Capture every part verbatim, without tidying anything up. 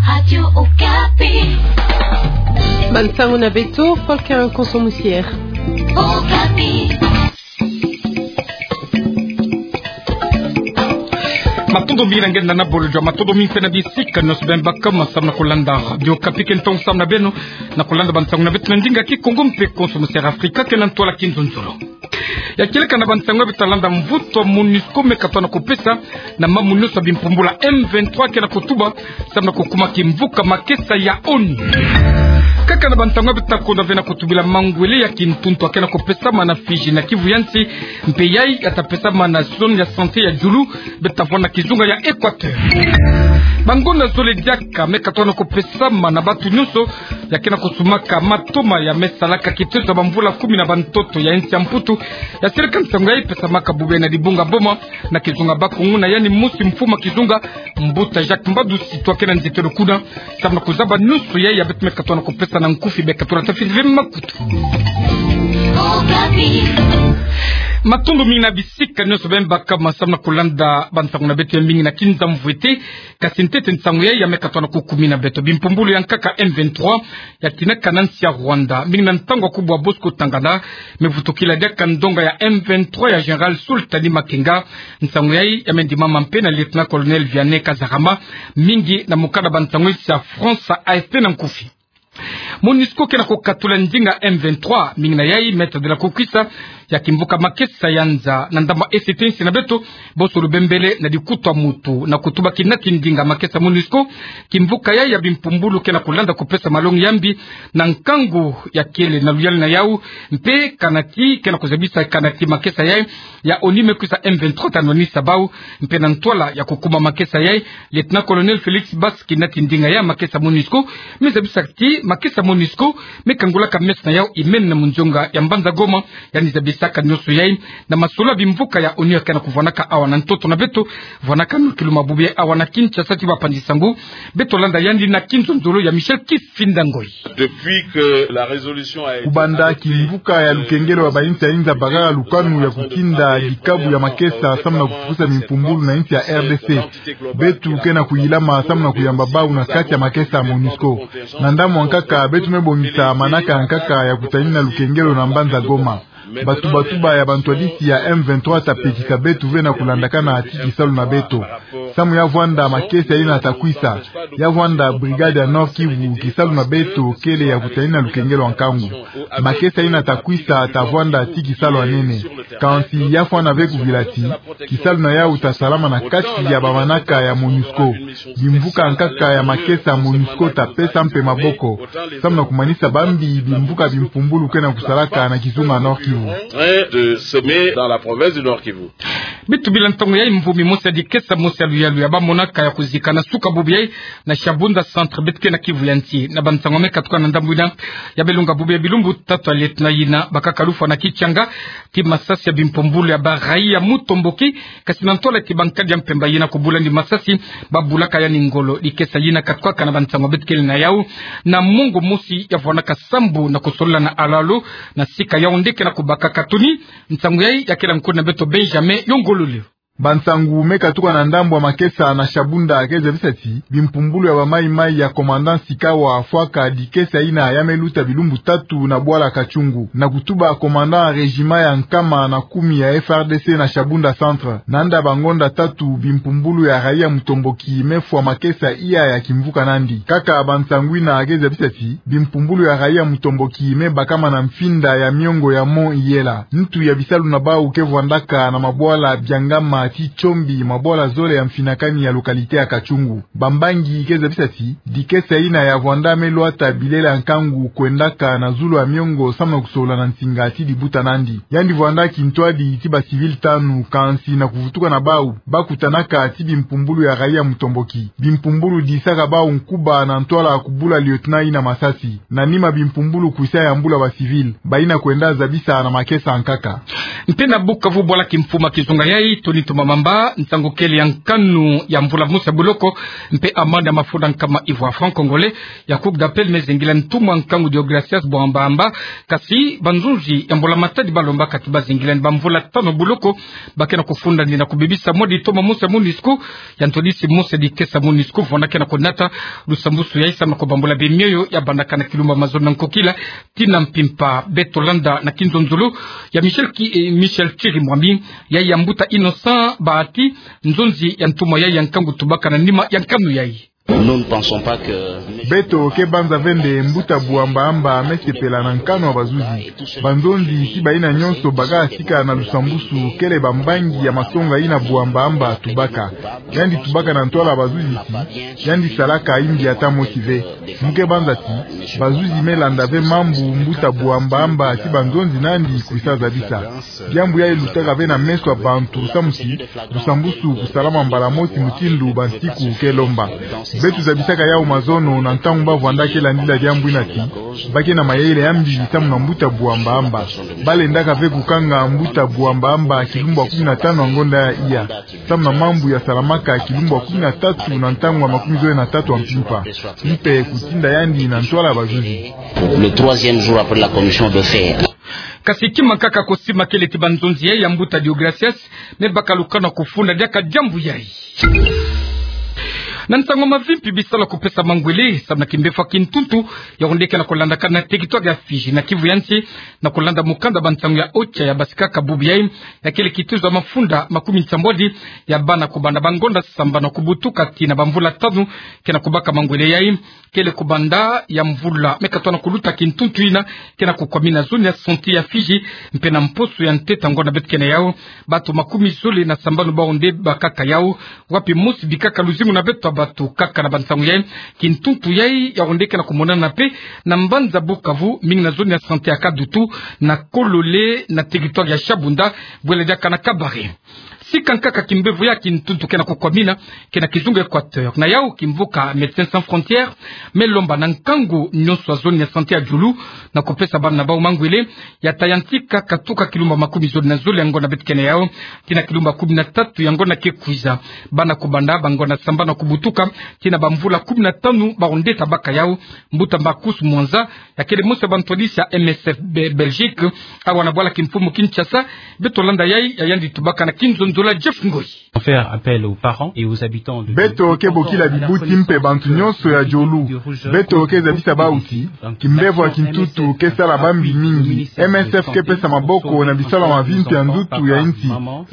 Radio Okapi. Bansango na beto, Volker Konso Musier. Okapi. Matondo mingi na nge na bolojo, matondo mingi mpe na bisika nyonso beno baka ma samu na kulanda Radio Okapi. Ke ntongo samu na beno na kulanda bansango na beto na ndinga Kikongo mpe Konso Musier Afrika, ke na ntwala kinzonzolo. Ya kieleka na bansango ya beto ta landa, mvutu ya MONUSCO me katwa na kupesa na mambu nyonso ya bimpumbulu ya M vingt-trois ke na kutuba samu na kukuma kimvuka makesa ya ONU. Kaka na bansango ya beto ta konda ve na kutubila mangwele ya kintuntu ya ke na kupesama na Fidji na Kivu ya Nsi, mpe yai ya ta pesama na zone ya santé ya Djulu, beto ta vwanda na kizunga ya Équateur. Bangonda zole diaka me katwa na kupesama na bantu nyonso ya ke na kusumaka matoma ya me salaka kitezo ya bamvula kumi na bantoto ya nsi ya Mputu. Ya seleka nsangu yai pesamaka bubu yai na dibunga Boma, na kizunga Bakongo, na yandi mosi mfumu ya kizunga, Mbuta Jacques Mbadu Situ, ke na nzietelo kuna samu na kuzaba nyonso yai ya beto me katwa na kupesa na nkufi. Beka tulata fini ve makutu. Matondo mingi na bisika nyonso beno baka ma samu na kulanda bansango na beto ya mingi na kinza mvwete. Kasi ntete nsangu yai ya me katwa na kukumina beto. Bimpumbulu ya nkaka M vingt-trois ya tinaka na nsi ya Rwanda, mingi na ntangu ya kubwa Bosco Ntaganda, me vutukila diaka ndonga ya M vingt-trois ya Général Sultani Makenga. Nsangu yai ya me ndimama mpe na Lieutenant-colonel Vianney Kazarama, mingi na mukanda bansangu insi ya France, A F P na nkufi. MONUSCO ke na kukatula ndinga M vingt-trois, mingi na yai Maîtres de la Kukwisa, ya kimvuka makesa ya nza na ndambu ya E C T, nsi na beto, boso lubembele na dikutu ya mutu, na kutuba kina ki ndinga makesa MONUSCO. Kimvuka yai ya bimpumbulu ke na kulanda kupesa malongi ya mbi na nkangu ya kele na luyali na yau, mpe kana ti ke na kuzabisa kana ti makesa yai ya ONU me kwisa M vingt-trois ta nwanisa bau, mpe na ntwala ya kukuma makesa yai, Lieutenant-colonel Félix Bas, kina ti ndinga ya makesa MONUSCO, me zabisa ti makesa MONUSCO me kangulaka meso na yau imene na munzonga ya mbanza Goma. Yandi zabisaka nyonso yai na masolo ya bimvuka ya ONU ya ke na kuvwanaka awa na ntoto na beto, vwanaka na kiluma bubu yai awa na Kinshasa ti bapanzi nsangu. Beto landa yandi na kinzonzolo ya Michel Kifinda Ngoi. Depuis que la résolution a été Kubanda adoptée, kimvuka ya lukengelo ya bainsi ya inza bakaka lukanu ya kutinda dikabu ya makesa samu na kufukusa bimpumbulu na insi ya R D C. Beto ke na kuyilama samu na kuyamba bau na kati ya makesa ya MONUSCO. Na ndambu ya nkaka, beto me bongisa manaka ya nkaka ya kutanina lukengelo na mbanza Goma. Batuba-tuba ya bantwadisi ya M vingt-trois ta pekisa beto ve na kulandakana ti kisalu na beto. Samu ya vwanda makesa yina ta kwisa, ya vwanda brigade ya Nord-Kivu, kisalu na beto kele ya kutanina lukengelo ya nkangu. Makesa yina ta kwisa ta vwanda ti kisalu ya nene. Kansi ya fwana ve kuvila ti kisalu na yau ta salama na kati ya bamanaka ya MONUSCO. Bimvuka ya nkaka ya makesa MONUSCO ta pesa mpe maboko samu na kumanisa bambi bimvuka bimpumbulu ke na kusalaka na kizunga Nord-Kivu. Train de semer dans la province du Nord-Kivu. Beto bila ntangu yai mvumi mosi ya dikesa mosi ya luyalu ya bamonaka ya kuzika na suka bubu yai na Shabunda Centre, beto ke na Kivu ya Nsi. Na bansangu me katuka na ndambu yina, ya me longa bubu yai bilumbu tatu ya lieutenant yina bakaka lufwa na kitianga ti masasi ya bimpumbulu ya ba raïa Mutomboki, kasi na ntwala ti bankadi ya mpemba yina kubula yandi masasi, babulaka yandi ngolo. Dikesa yina katukaka na bansangu beto kele na yau na mongo mosi ya vwanaka sambu na kusolola na Alalo, na sika Yaoundé ke na kubaka katuni. Nsangu yai ya kela nkundi na beto Benjamin Yongolole. Bansangu me katuka na ndambu ya makesa na Shabunda ke zabisa ti bimpumbulu ya ba Maï-Maï ya commandant Sikawa fwaka dikesa yina ya me luta bilumbu tatu na bwala Katchungu, na kutuba commandant ya régiment ya nkama na kumi ya F R D C na Shabunda Centre. Nanda bangonda tatu, bimpumbulu ya raïa Mutomboki me fwa makesa iya ya kimvuka nandi. Kaka bansangu yina ke zabisa ti bimpumbulu ya raïa Mutomboki me bakama na mfinda ya miongo ya Mont Iyela. Ntu ya bisalu na bau ke vwandaka na mabwala Byangama ti Tchombi, mabwala zole ya mfinakani ya localité ya Katchungu. Bambangi ke zabisa ti dikesa yina ya vwanda me lwata bilele ya nkangu kwendaka na zulu ya miongo samu na kusolola na nsinga ti dibuta nandi. Yandi vwanda kintwadi ti ba civil tanu, kansi na kuvutuka na bau, bakutanaka ti bimpumbulu ya raïa Mutomboki. Bimpumbulu disaka bau nkuba na ntwala kubula lieutenant yina masasi. Na nima, bimpumbulu kwisa yambula ba civil, bayina kwenda zabisa na makesa ya nkaka. Mpe na Bukavu, bwala kimfumu ya kizunga yai Tony Mamba, nsangu kele ya nkanu ya mvula mosi ya buloko, mpe amande ya mafunda nkama ivwa franc congolais, ya Cour d'appel me zengila ntumwa nkangu Deogracias Buamba Amba, kasi banzonzi ya mbula matadi balombaka ti bazengilani bamvula tanu buloko, ba ke na kufunda ni na kubebisa mwa ditoma mosi ya MONUSCO, ya ntwadisi mosi ya dikesa MONUSCO, vwanda ke na kunata lusambusu yayi samu na kubambula bemioyo ya bandaka na kilumbu mazono na nkokila, tii na mpimpa. Beto landa na kinzonzolo ya Michel Ki-, eh, Michel Chirimwami, yayi ya mbuta Innocent Bahati, nzonzi ya ntumwa yayi ya nkangu tubaka na nima ya nkanu yayi. Nous ne pensons pas que Beto ke banza ve nde mbuta Buamba Amba me sepela na nkanu ya bazuzi. Banzonzi ti bayina nyonso baka sika na lusambusu kele bambangi ya masonga yina Buamba Amba tubaka. Yandi tubaka na ntwala ya bazuzi ti yandi salaka yimbi ata mosi ve. Mu ke banza ti bazuzi me landa ve mambu mbuta Buamba Amba ti banzonzi nandi kwisa zabisa. Diambu yayi lutaka ve na meso ya bantu samu ti lusambusu kusalama mbala mosi mutindu bansiku ke lomba. Beto zabisaka yawu mazono na ntangu ba vwanda ke landila diambu yina ti ba ke na mayele ya mbi samu na mbuta Buamba Amba. Ba lendaka ve kukanga mbuta Buamba Amba kilumbu ya kumi na tanu ya ngonda ya iya, samu na mambu ya salamaka kilumbu ya kumi na tatu na ntangu ya makumi zole na tatu ya mpimpa, mpe kutinda yandi na ntwala ya bazuzi. Le troisième jour après la commission de fer. Kasi kima kaka ko sima kele ti banzonzi yayi ya mbuta Deogracias me baka lukanu ya kufunda diaka diambu yayi. Na nsangu ya mavimpi, bisalu ya kupesa mangwele samu na kimbevo ya kintuntu ya onde ke na kulandakana na territoire ya Fidji na Kivu ya nsi, na kulanda mukanda bansangu ya OCHA ya basikaka bubu yayi, ya kele kituzu ya mafunda makumi nsambwadi ya bana kubanda bangonda sambanu ya kubutuka tii na bamvula tanu ke na kubaka mangwele yayi. Kele kubanda ya mvula me katoa na kuluta kintuntu yina ke na kukwamina zone ya santé ya Fidji, mpe na mposo ya ntete ya ngonda beto ke na yawu, bantu makumi zole na sambanu ba onde bakaka yawu, wapi mosi bikaka luzingu na beto ya bantu kaka. Na bansangu yayi, kintuntu yayi ya onde ke na kumonana mpe na mbanza Bukavu, mingi na zone ya santé ya Kadutu, na Kolole, na territoire ya Shabunda, bwela diaka na Kabare. Sika nkaka kimbevo ya kintuntu ke na kukwamina ke na kizunga Équateur. Na yawu, kimvuka Médecins Sans Frontières me lomba na nkangu nyonso ya zone ya santé ya Djoulou na kupesa bana na bawu mangwele ya tayantika katuka kilumbu makumi zole na zole ya ngonda beto ke na yawu tii na kilumbu kumi na tatu ya ngonda ke kwiza. Bana kubanda bangonda sambanu ya kubutuka tii na bamvula kumi na tanu ba onde tabaka yawu. Mbuta Marcus Mwanza, ya kele mosi ya bantwadisi ya M S F Be-, Belgique, awa na bwala kimfumu Kinshasa. Beto landa yayi, ya yandi tubaka na kinzonzolo ya Jeff Ngoyi. Faire appel aux parents et aux habitants de Beto ke bokila bibuti mpe bantu nyonso ya Djoulou. Beto ke zabisa bawu ti kimbevo ya kintuntu ke sala bambi mingi. M S F ke pesa maboko na bisalu ya mavimpi ya nzunzu ya nsi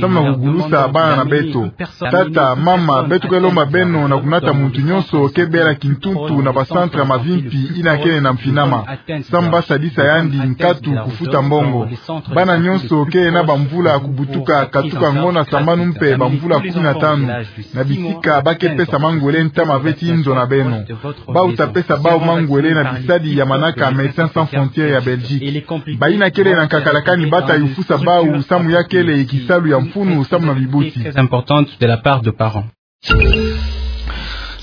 samu na kugulusa bana na beto. Tata, mama, beto ke lomba beno na kunata muntu nyonso ke bela kintuntu na bacentre ya mavimpi yina kele na mfinama, samu ba sadisa yandi nkatu kufuta mbongo. Bana nyonso ke na bamvula ya kubutuka katuka ngonda sambanu mpe bamvula kumi na tanu, na bisika ba ke pesa mangwele ntama ve ti nzo na beno. Bawu tapesa bawu mangwele na bisadi ya manaka Médecins Sans Frontières ya Belgique. Bayina kele na nkakalakani ba tayufusa bawu samu ya kele kisalu ya mfunu samu na bibuti. Très importante de la part de parents.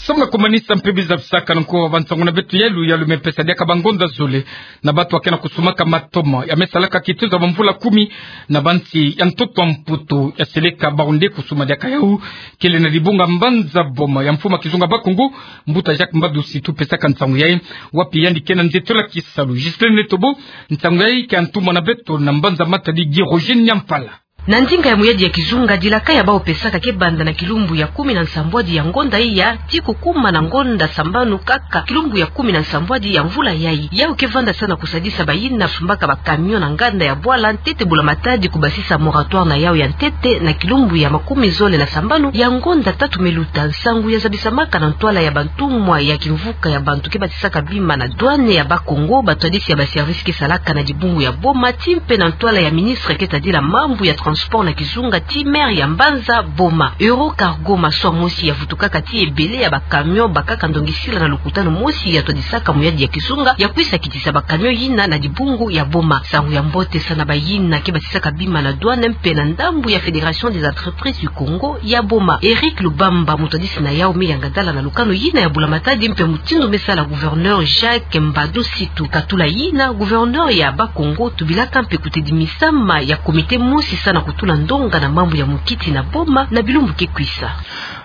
Samu na kumanisa mpe biza bisaka na nko wa bansangu na beto ya luyalu, me pesa diaka bangonda zole na bantu ba ke na kusumaka matoma ya me salaka kituzu ya bamvula kumi na bansi ya ntoto ya Mputu ya seleka ba onde kusuma diaka yawu. Kele na dibunga mbanza Boma ya mfumu ya kizunga Bakongo, mbuta Jacques Mbadu Situ pesaka nsangu yayi, wapi yandi ke na nzietolo ya kisalu. Ghislaine Tobo, nsangu yayi ke ya ntumwa na beto na mbanza Matadi Guy Roger Nyampala. Na ndinga ya muyadi ya kizunga, dilaka ya bawu pesaka ke banda na kilumbu ya kumi na nsambwadi ya ngonda iya tii kukuma na ngonda sambanu kaka kilumbu ya kumi na nsambwadi ya mvula yayi. Yawu ke vandasana kusadisa bayina sumbaka ba camion na nganda ya bwala ntete Bula Matadi kubasisa moratoire na yawu ya ntete na kilumbu ya makumi zole na sambanu ya ngonda tatu me luta. Nsangu ya zabisamaka na ntwala ya bantumwa ya kimvuka ya bantu ke batisaka bima na douane ya Bakongo, batwadisi ya ba service ke salaka na dibungu ya Boma, tii mpe na ntwala ya ministre ke tadila mambu ya transport na kizunga tii maire ya mbanza Boma. Eurocargo, maswa mosi ya vutukaka tii ebele ya ba camion bakaka ndongisila na lukutanu mosi ya twadisaka muyadi ya kizunga ya kwisa kitisa ba camion yina na dibungu ya Boma. Nsangu ya mbote sa na bayina ke batisaka bima na douane mpe na ndambu ya Fédération des entreprises du Congo ya Boma. Eric Lubamba, mutwadisi na yawu, me yanga dala na lukanu yina ya Bula Matadi mpe mutindu me sala gouverneur Jacques Mbadu Situ. Katula yina, gouverneur ya Bakongo tubilaka mpe kutedi misama ya comité mosi sa na kutula ndonga na mambu ya munkiti na boma na bilumbu ke kwisa.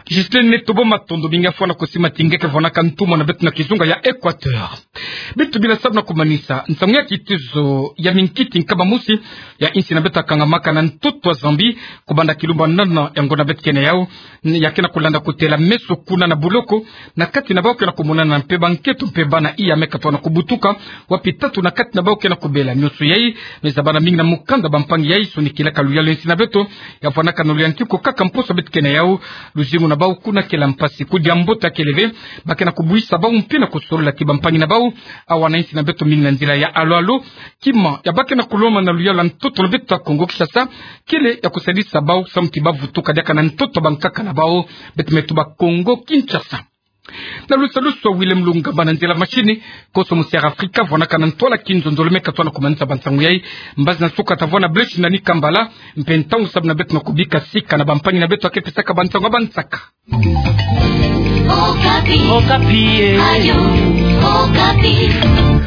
Justine Netobo, matondo mingi, afwana kusi matingeke vwanaka ntumwa na beto na kizunga ya Equateur. Beto bila salu na kumanisa nsangu ya kitizo ya minkiti nkaba mosi ya insi na beto ya kangamaka na ntoto wa Zambie, kubanda kilumbu ya nana ya ngonda beto ke na yau, ya ke na kulanda kutela meso kuna na boloko, na kati na bau ke na kumonana mpe bankento mpe bana iya me katwana kubutuka, wapi tatu na kati na bau ke na kubela. Nionso yai me zabana mingi na mukanda bampangi yai sonikilaka luyalu ya insi na beto, ya vwanaka na luyantiku kaka mposo beto ke na yau. Luzingu na bau kuna kela mpasi. Kudia mbote ya kele ve, ba ke na kubuisa bau mpe na kusolola ti bampangi na bau, awa na insi na beto mingi na nzila ya alo-alo. Kima ya ba ke na kulomba na luyalu ya ntoto na beto ya Kongo Kinshasa, kele ya kusalisa bau samu ti ba vutuka diaka na ntoto bankaka na bau. Beto me tuba Kongo Kinshasa. Na lusalusu ya Willem Lungamba na nzila machine, koso musi ya Afrika vwanaka na ntwala kinzonzolo me katwana kumanisa bansangu yai. Mbazi na suka ta vwa na Blaise Nani Kambala, mpe ntangu samu na beto na kubika sika na bampangi na beto ya ke pesaka bansangu ya bansaka. Okapi. Okapi, eh. Radio Okapi.